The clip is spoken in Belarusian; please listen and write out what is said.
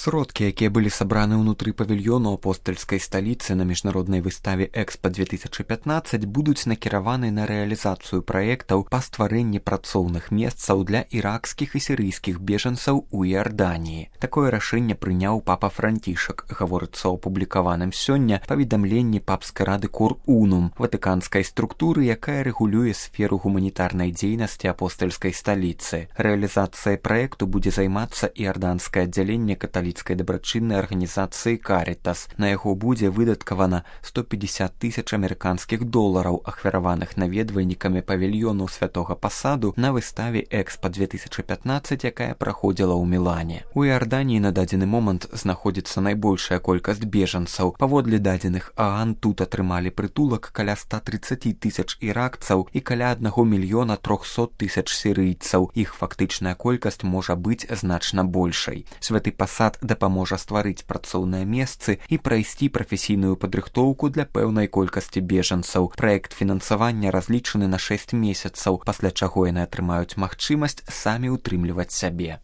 Сродкі, якія былі сабраны ўнутры павільёну апостальскай сталіцы на міжнароднай выставе Экспа-2015 будуць накіраваны на рэалізацыю праектаў па стварэнні працоўных месцаў для іракскіх і сірыйскіх бежанцаў у Іарданіі. Такое рашэнне прыняў папа Францішак, гаворыцца ў апублікаваным сёння паведамленні папскай рады Cor Unum, ватыканскай структуры, якая рэгулюе сферу гуманітарнай дзейнасці апостальскай сталіцы. Рэалізацыяй праекту будзе займацца іарданскае аддзяленне каталіцкай дабрачыннай арганізацыі Каритас. На яго будзе выдаткавана 150 000 амерыканскіх долараў, ахвяраваных наведвальнікамі павільёну святога пасаду на выставе Экспа-2015, якая праходзіла ў Мілане. У Іарданіі на дадзены момант знаходзіцца найбольшая колькасць бежанцаў. Паводле дадзеных ААН тут атрымалі прытулак каля 130 000 іракцаў і каля 1 300 000 сірыйцаў. Іх фактычная колькасць можа быць значна большай. Святы пасад дапаможа стварыць працоўныя месцы і прайсці прафесійную падрыхтоўку для пэўнай колькасці бежанцаў. Праект фінансавання разлічаны на 6 месяцаў, пасля чаго яны атрымаюць магчымасць самі ўтрымліваць сябе.